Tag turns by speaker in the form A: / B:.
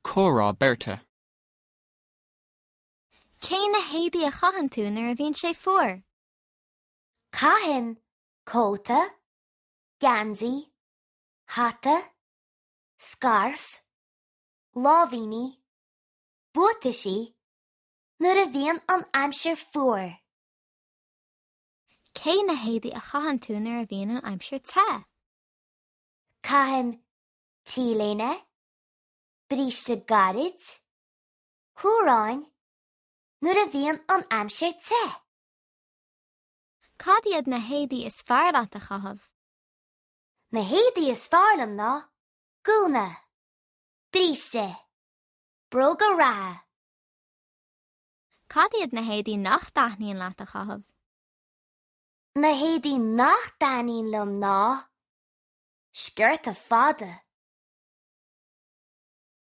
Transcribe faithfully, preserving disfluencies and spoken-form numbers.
A: Comhrá beirte.
B: Cé na héadaí a chaitheann tú nuair a bhíonn sé fuar?
C: Caithim cóta, geansaí, hata, scairf, láimhíní, buataisí nuair a bhíonn an aimsir fuar.
B: Cé na héadaí a chaitheann tú nuair a bhíonn an aimsir te?
C: Caithim T-léine, bríste gairid, cuaráin nuair a bhíonn an aimsir te.
B: Cad iad na héadaí is fearr leat a chaitheamh?
C: Na héadaí is fearr liom ná gúna, bríste, bróga reatha.
B: Cad iad na héadaí nach dtaitníonn leat a chaitheamh?
C: Na héadaí nach dtaitníonn liom ná sciorta fada.